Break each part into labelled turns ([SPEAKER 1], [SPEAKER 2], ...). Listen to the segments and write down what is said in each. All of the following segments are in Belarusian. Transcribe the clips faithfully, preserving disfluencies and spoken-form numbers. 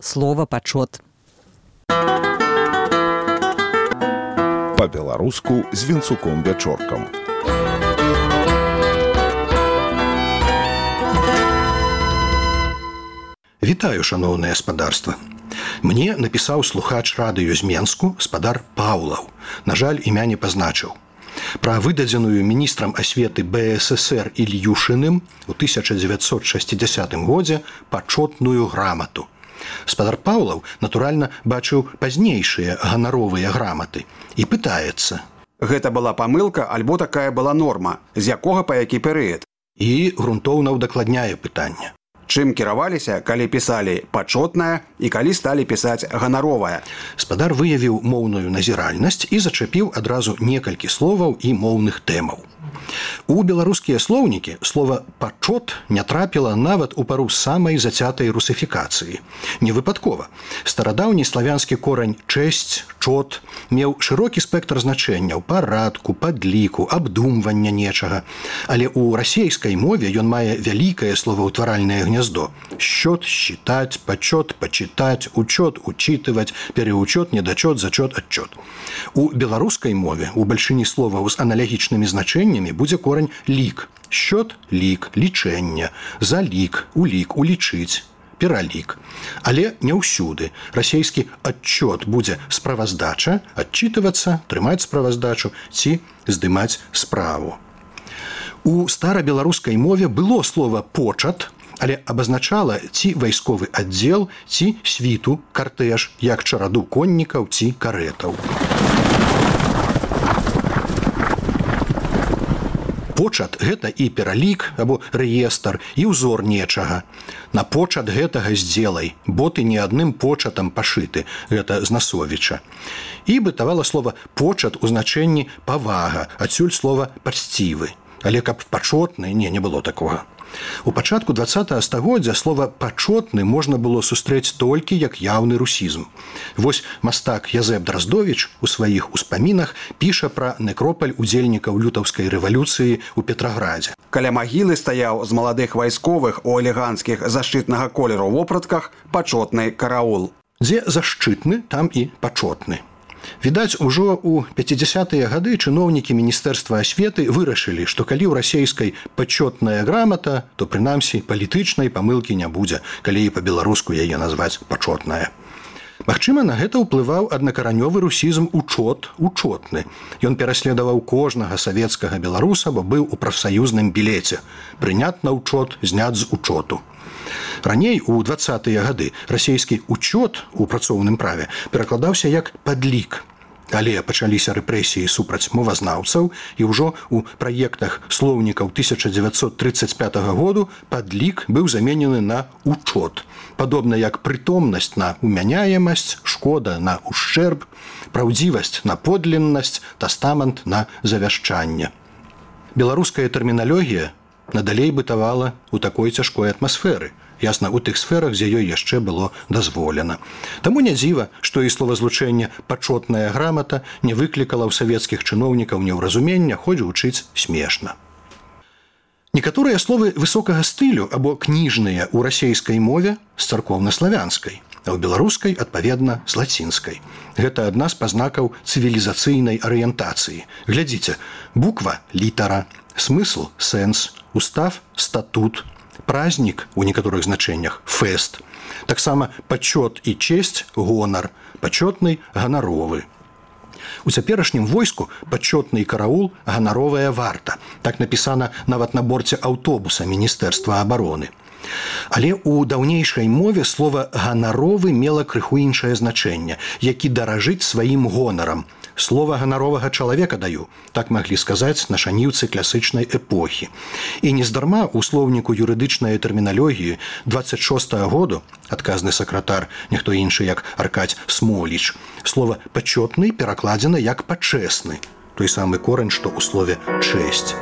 [SPEAKER 1] Слово «пачот».
[SPEAKER 2] Па-беларуску з Вінцуком Вячоркам.
[SPEAKER 3] Вітаю, шаноўнае спадарства. Мне напісаў слухач радыё з Менску спадар Паўлаў. На жаль, імя не пазначыў. Пра выдадзеную міністрам асветы БССР Ільюшыным у тысяча дзевяцьсот шэсцідзясятым годзе пачотную грамату. Спадар Паўлаў, натуральна, бачыў пазнейшыя ганаровыя граматы і пытаецца.
[SPEAKER 4] Гэта была памылка, альбо такая была норма, з якога па які перыяд?
[SPEAKER 3] І грунтоўна ўдакладняе пытанне.
[SPEAKER 4] Чым кіраваліся, калі пісалі пачотная і калі сталі пісаць ганаровая?
[SPEAKER 3] Спадар выявіў моўную назіральнасць і зачапіў адразу некалькі словаў і моўных тэмаў. У беларускія слоўнікі слова «пачот» не трапіла нават у пару самай зацятай русыфікацыі. Не выпадкова. Старадаўні славянскі корань «чэсць», «чот» меў шырокі спектр значэнняў, парадку, падліку, абдумвання нечага. Але ў расейскай мове ён мае вялікае словаўтваральнае гняздо. Счёт, считать, почёт, почитать, учёт, учитывать, переучёт, недочёт, зачёт, отчёт. У беларускай мове у бальшыні словаў з аналагічнымі значэннямі будзе корань «лік». Счёт – лік, лічэнне, залік, улік, улічыць, пералік. Але не ўсюды. Расейскі «адчёт» будзе справаздача, адчитывацца, трымаць справаздачу ці здымаць справу. У старабеларускай мове было слова «почат», але абазначала ці вайсковы аддзел, ці світу, картэж, як чараду коннікаў ці карэтаў. Почат – гэта і пералік, або рэестр, і ўзор нечага. На почат гэтага здзелай, бо ты не адным початам пашыты, гэта з Насовіча. І бытавала слова «почат» у значэнні «павага», адсюль слова «пачцівы». Але каб пачотны, не, не было такога. У пачатку дваццатага стагоддзя слова «пачотны» можна было сустрэць толькі як яўны русізм. Вось мастак Язэп Драздовіч у сваіх успамінах піша пра некропаль удзельнікаў лютаўскай рэвалюцыі ў Петраградзе.
[SPEAKER 4] Каля магілы стаяў з маладых вайсковых у элеганцкіх зашчытнага колеру вопратках пачотны караул.
[SPEAKER 3] Дзе зашчытны, там і пачотны. Відаць, ужо ў пяцідзясятыя гады чыноўнікі міністэрства асветы вырашылі, што калі ў расейскай пачотная грамата, то прынамсі палітычнай памылкі не будзе, калі і па-беларуску яе назваць пачотная. Магчыма, на гэта ўплываў аднакаранёвы русізм «учот», «учотны». Ён пераследаваў кожнага савецкага беларуса, бо быў у прафсаюзным білеце. Прынят на ўчот, знят з учоту. Раней, у дваццатыя гады, расейскі «учёт» у працоўным праве перакладаўся як «падлік». Але пачаліся рэпрэсіі супраць мовазнаўцаў, і ўжо ў праектах слоўнікаў тысяча дзевяцьсот трыццаць пятага году падлік быў заменены на «учот». Падобна як прытомнасць на умяняемасць, шкода на ушчэрб, праўдзівасць на подліннасць, тастамент на завяшчанне. Беларуская тэрміналогія надалей бытавала ў такой цяжкой атмасферы, ясна, у тых сферах, дзе ёй яшчэ было дазволена. Таму не дзіва, што і словазлучэнне «пачотная грамата» не выклікала ў савецкіх чыноўнікаў неўразумення, хоць гучыць смешна. Некаторыя словы высокага стылю або кніжныя ў расейскай мове з царкоўна-славянскай, а ў беларускай, адпаведна, з лацінскай. Гэта адна з пазнакаў цывілізацыйнай арыентацыі. Глядзіце, буква – літара, смысл – сэнс, устав – статут, празднік у некаторых значэннях – фэст. Таксама пачот і чесць – гонар, пачотны – ганаровы. У цяперашнім войску пачотны караул – ганаровая варта. Так напісана нават на борце аўтобуса Міністэрства абароны. Але ў даўнейшай мове слова «ганаровы» мела крыху іншае значэнне, які даражыць сваім гонарам. Слова ганаровага чалавека даю, так маглі сказаць нашаніўцы класычнай эпохі. І нездарма ў слоўніку юрыдычнай тэрміналогіі дваццаць шостага году, адказны сакратар, ніхто іншы як Аркадзь Смоліч, слова «пачотны» перакладзена як «пачэсны», той самы корань, што ў слове «чэсць».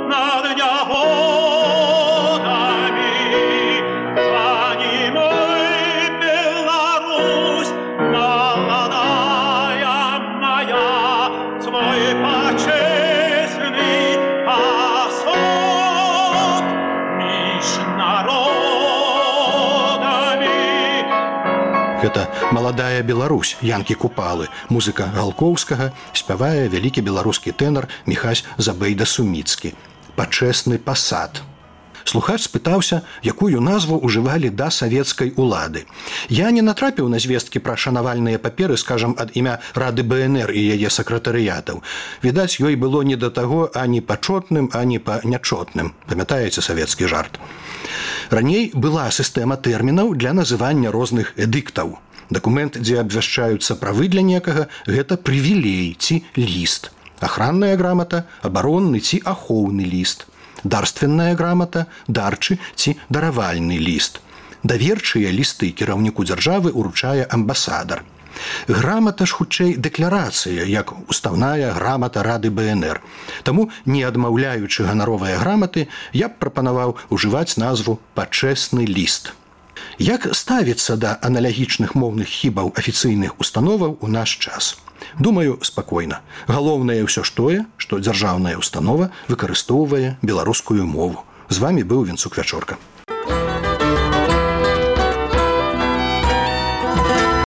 [SPEAKER 5] Над нягодами, за ним Беларусь молодая моя. твой почестный особ меж народами.
[SPEAKER 3] Гэта маладая Беларусь Янкі Купалы, музыка Галкоўскага, спявае вялікі беларускі тэнар Міхась Забейда-Суміцкі. Пачэсны пасад. Слухач спытаўся, якую назву ўжывалі да савецкай улады. Я не натрапіў на звесткі пра шанавальныя паперы, скажам, ад імя Рады БНР і яе сакратарыятаў. Відаць, ёй было не да таго ані пачотным, ані па нячотным. Памятаеце савецкі жарт? Раней была сістэма тэрмінаў для называння розных эдыктаў. Дакумент, дзе абвяшчаюцца правы для некага, гэта прывілей ці ліст. Ахранная грамата, абаронны ці ахоўны ліст. Дарственная грамата, дарчы ці даравальны ліст. Даверчыя лісты кіраўніку дзяржавы уручае амбасадар. Грамата ж хутчэй дэкларацыя, як устаўная грамата Рады БНР. Таму, не адмаўляючы ганаровыя граматы, я б прапанаваў ужываць назву «пачэсны ліст». Як ставіцца да аналагічных моўных хібаў афіцыйных установаў у наш час? Думаю, спакойна. Галоўнае ўсё ж тое, што дзяржаўная установа выкарыстоўвае беларускую мову. З вамі быў Венцук Вячорка.